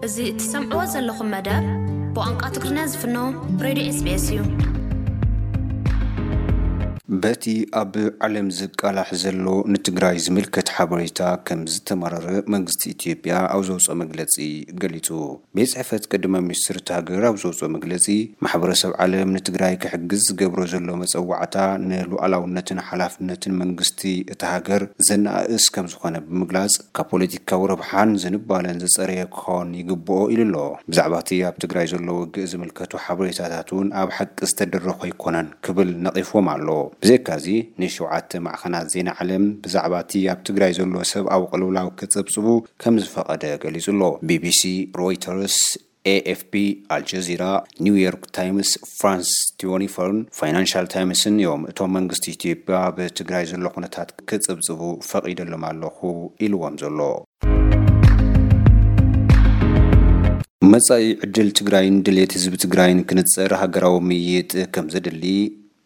እዚ እትሰምዕዎ ዘለኹም መደብ ብቋንቋ ትግርኛ ዝፍኖ ሬድዮ ኤስቢኤስ እዩ። በቲ ኣብ ዓለም ዝቃላሕ ዘሎ ንትግራይ ዝምልከት ሓበሬታ ከም ዝተማረረ መንግስቲ ኢትዮጵያ ኣብ ዘውፅኦ መግለፂ ገሊፁ። ቤት ጽሕፈት ቀዳማይ ሚኒስትር እታ ሃገር ኣብ ዘውፅኦ መግለፂ፣ ማሕበረሰብ ዓለም ንትግራይ ክሕግዝ ዝገብሮ ዘሎ መፀዋዕታ ንሉዓላውነትን ሓላፍነትን መንግስቲ እታ ሃገር ዘነኣእስ ከም ዝኾነ ብምግላፅ፣ ካብ ፖለቲካዊ ረብሓን ዝንባለን ዝፀረየ ክኸውን ይግብኦ ኢሉ ኣሎ። ብዛዕባ እቲ ኣብ ትግራይ ዘሎ ውግእ ዝምልከቱ ሓበሬታታት እውን ኣብ ሓቂ ዝተደረኾ ኣይኮነን ክብል ነቒፍዎም ኣሎ። ብዘይካዚ፣ ንሸውዓተ ማዕኸናት ዜና ዓለም ብዛዕባ እቲ ኣብ ትግራይ ዘሎ ሰብኣዊ ቅልውላው ክጽብጽቡ ከም ዝፈቐደ ገሊጹ ኣሎ። ቢቢሲ፣ ሮይተርስ፣ ኤኤፍፒ፣ ኣልጀዚራ፣ ኒውዮርክ ታይምስ፣ ፍራንስ ትወንቲ ፎርን ፋይናንሻል ታይምስን እዮም እቶም መንግስቲ ኢትዮጵያ ኣብ ትግራይ ዘሎ ኩነታት ክጽብጽቡ ፈቒደሎም ኣለኹ ኢልዎም ዘሎ። መጻኢ ዕድል ትግራይን ድሌት ህዝቢ ትግራይን ክንጸር ሃገራዊ ምይይጥ ከም ዘድሊ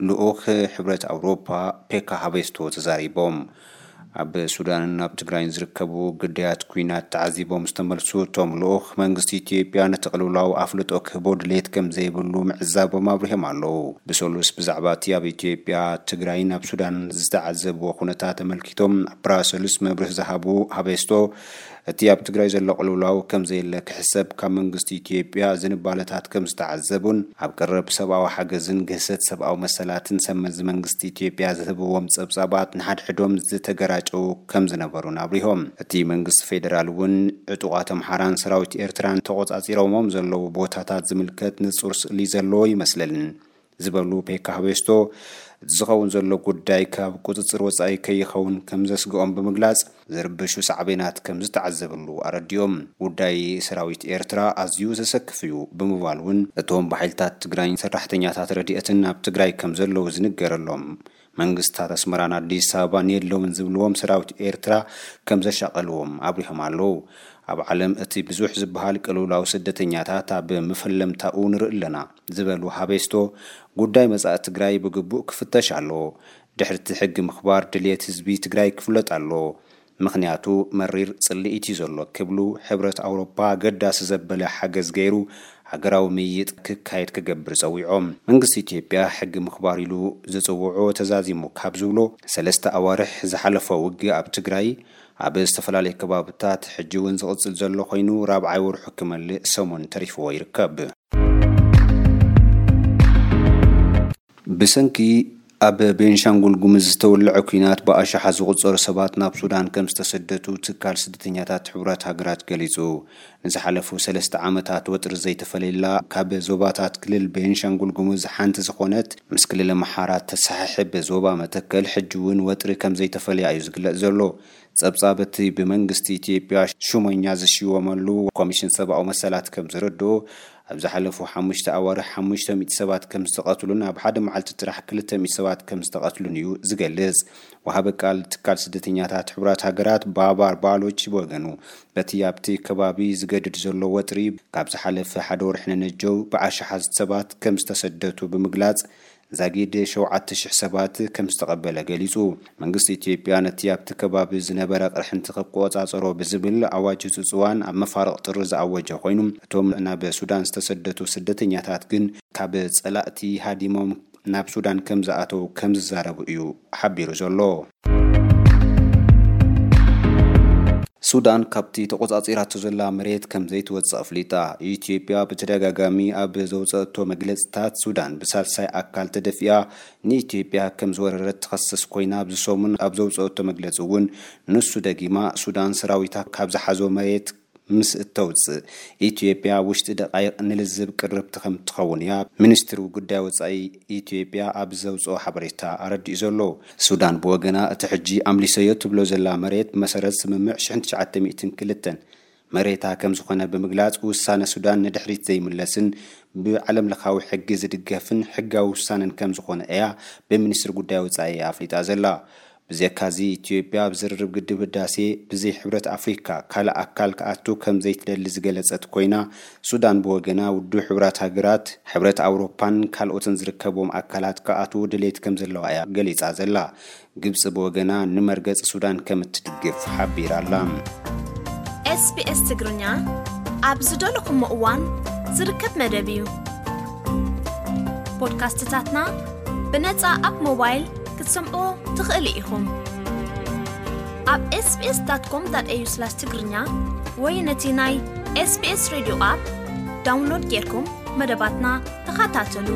ልኡኽ ሕብረት ኣውሮፓ ፔካ ሃቤስቶ ተዛሪቦም። ኣብ ሱዳንን ኣብ ትግራይን ዝርከቡ ግዳያት ኲናት ተዓዚቦም ዝተመልሱ እቶም ልኡኽ፣ መንግስቲ ኢትዮጵያ ነቲ ቅልውላው ኣፍልጦ ክህቦ ድሌት ከም ዘይብሉ ምዕዛቦም ኣብሪሆም ኣለዉ። ብሰሉስ ብዛዕባ እቲ ኣብ ኢትዮጵያ፣ ትግራይን ኣብ ሱዳን ዝተዓዘብዎ ኩነታት ተመልኪቶም ኣብ ብራሰልስ መብርሂ ዝሃቡ ሃቤስቶ፣ እቲ ኣብ ትግራይ ዘሎ ቅልውላው ከም ዘየለ ክሕሰብ፣ ካብ መንግስቲ ኢትዮጵያ ዝንባለታት ከም ዝተዓዘቡን ኣብ ቀረብ ሰብኣዊ ሓገዝን ግህሰት ሰብኣዊ መሰላትን ሰመዚ መንግስቲ ኢትዮጵያ ዝህብዎም ጸብጻባት ንሓድሕዶም ዝተገራጨዉ ከም ዝነበሩን ኣብሪሆም። እቲ መንግስቲ ፌደራል እውን ዕጡቓት ኣምሓራን ሰራዊት ኤርትራን ተቖጻጺሮሞም ዘለዉ ቦታታት ዝምልከት ንጹር ስእሊ ዘለዎ ይመስለልን ዝበሉ ፔካ ሃቤስቶ፣ እቲ ዝኸውን ዘሎ ጉዳይ ካብ ቁጽጽር ወጻኢ ከይኸውን ከም ዘስግኦም ብምግላጽ፣ ዝርብሹ ሳዕቤናት ከም ዝተዓዘብሉ ኣረዲኦም። ጉዳይ ሰራዊት ኤርትራ ኣዝዩ ዘሰክፍ እዩ ብምባል እውን፣ እቶም ብሓይልታት ትግራይን ሰራሕተኛታት ረድኤትን ኣብ ትግራይ ከም ዘለዉ ዝንገረሎም መንግስታት ኣስመራን ኣዲስ ኣበባን የለውን ዝብልዎም ሰራዊት ኤርትራ ከም ዘሻቐልዎም ኣብሪሆም ኣለዉ። ኣብ ዓለም እቲ ብዙሕ ዝበሃል ቅልውላው ስደተኛታት ኣብ መፈለምታኡ ንርኢ ኣለና ዝበሉ ሃቤስቶ፣ ጉዳይ መጻኢ ትግራይ ብግቡእ ክፍተሽ ኣለዎ። ድሕሪ እቲ ሕጊ ምኽባር ድልየት ህዝቢ ትግራይ ክፍለጥ ኣለዎ። ምኽንያቱ መሪር ጽልኢት እዩ ዘሎ ክብሉ፣ ሕብረት ኣውሮፓ ኣገዳሲ ዘበለ ሓገዝ ገይሩ ሃገራዊ ምይይጥ ክካየድ ክገብር ጸዊዖም። መንግስቲ ኢትዮጵያ ሕጊ ምኽባር ኢሉ ዝጽውዖ ተዛዚሙ ካብ ዝብሎ ሰለስተ ኣዋርሕ ዝሓለፎ ውግእ ኣብ ትግራይ ኣብ ዝተፈላለየ ከባብታት ሕጂ እውን ዝቕጽል ዘሎ ኮይኑ፣ ራብዓይ ወርሑ ክመልእ ሰሙን ተሪፍዎ ይርከብ። ብሰንኪ ኣብ ቤንሻንጉል ጉምዝ ዝተወለዐ ኲናት ብኣሽሓት ዝቑጸሩ ሰባት ናብ ሱዳን ከም ዝተሰደቱ ትካል ስደተኛታት ሕቡራት ሃገራት ገሊጹ። ንዝሓለፉ ሰለስተ ዓመታት ወጥሪ ዘይተፈለየላ ካብ ዞባታት ክልል ቤንሻንጉል ጉምዝ ሓንቲ ዝኾነት ምስ ክልል ኣምሓራ ተሰሓሕብ ዞባ መተከል ሕጂ እውን ወጥሪ ከም ዘይተፈለያ እዩ ዝግለጽ ዘሎ። ጸብጻብ እቲ ብመንግስቲ ኢትዮጵያ ሹመኛ ዝሽወመሉ ኮሚሽን ሰብኣዊ መሰላት ከም ዘረድኦ፣ ኣብ ዝሓለፉ ሓሙሽተ ኣዋርሕ ሓሙሽተ ሚእቲ ሰባት ከም ዝተቐትሉን ኣብ ሓደ መዓልቲ ጥራሕ ክልተ ሚእቲ ሰባት ከም ዝተቐትሉን እዩ ዝገልጽ። ወሃቢ ቃል ትካል ስደተኛታት ሕቡራት ሃገራት ባባር ባሎች ብወገኑ፣ በቲ ኣብቲ ከባቢ ዝገድድ ዘሎ ወጥሪ ካብ ዝሓለፈ ሓደ ወርሒ ንነጀው ብኣሽሓት ሰባት ከም ዝተሰደቱ ብምግላጽ፣ ዛጊድ ሸውዓተ ሽሕ ሰባት ከም ዝተቐበለ ገሊጹ። መንግስቲ ኢትዮጵያ ነቲ ኣብቲ ከባቢ ዝነበረ ቅርሕንቲ ክቆጻጸሮ ብዝብል ኣዋጅ ህጹጽ እዋን ኣብ መፋርቕ ጥሪ ዝኣወጀ ኮይኑ፣ እቶም ናብ ሱዳን ዝተሰደቱ ስደተኛታት ግን ካብ ጸላእቲ ሃዲሞም ናብ ሱዳን ከም ዝኣተው ከም ዝዛረቡ እዩ ሓቢሩ ዘሎ። ሱዳን ካብቲ ተቆጻጺራቶ ዘላ መሬት ከም ዘይትወጽእ ኣፍሊጣ። ኢትዮጵያ ብተደጋጋሚ ኣብ ዘውጸእቶ መግለጽታት፣ ሱዳን ብሳልሳይ ኣካል ተደፊኣ ንኢትዮጵያ ከም ዝወረረት ትኸስስ ኮይና፣ ኣብዚ ሰሙን ኣብ ዘውጸእቶ መግለጺ እውን ንሱ ደጊማ፣ ሱዳን ሰራዊታ ካብ ዝሓዞ መሬት ምስ እተውጽእ፣ ኢትዮጵያ ውሽጢ ደቃይቕ ንልዝብ ቅርብቲ ከም ትኸውን እያ፣ ሚኒስትሪ ጉዳይ ወጻኢ ኢትዮጵያ ኣብ ዘውጽኦ ሓበሬታ ኣረዲኡ ዘሎ። ሱዳን ብወገና፣ እቲ ሕጂ ኣምሊሰዮ ትብሎ ዘላ መሬት ብመሰረት ስምምዕ ሽሕን ትሽዓተ ሚእትን ክልተን መሬታ ከም ዝኾነ ብምግላጽ፣ ውሳነ ሱዳን ንድሕሪት ዘይምለስን ብዓለም ለኻዊ ሕጊ ዝድገፍን ሕጋዊ ውሳነን ከም ዝኾነ እያ ብሚኒስትሪ ጉዳይ ወጻኢ ኣፍሊጣ ዘላ። ብዘካዚ፣ ኢትዮጵያ ኣብ ዝርርብ ግድብ ህዳሴ ብዘይ ሕብረት ኣፍሪካ ካልእ ኣካል ክኣቱ ከም ዘይትደሊ ዝገለጸት ኮይና፣ ሱዳን ብወገና፣ ውድብ ሕቡራት ሃገራት፣ ሕብረት ኣውሮፓን ካልኦትን ዝርከብዎም ኣካላት ክኣትዉ ድሌት ከም ዘለዋ እያ ገሊጻ ዘላ። ግብጺ ብወገና፣ ንመርገጺ ሱዳን ከም እትድግፍ ሓቢራ ኣላ። ኤስቢኤስ ትግርኛ ኣብ ዝደለኹሞ እዋን ዝርከብ መደብ እዩ። ፖድካስትታትና ብነጻ ኣብ ሞባይል ክትሰምዑ ትኽእሉ ኢኹም። ኣብ ኤስቢኤስ ዳት ኮም ዳት ኤዩ ስላሽ ትግርኛ ወይ ነቲ ናይ ኤስቢኤስ ሬድዮ ኣፕ ዳውንሎድ ጌርኩም መደባትና ተኸታተሉ።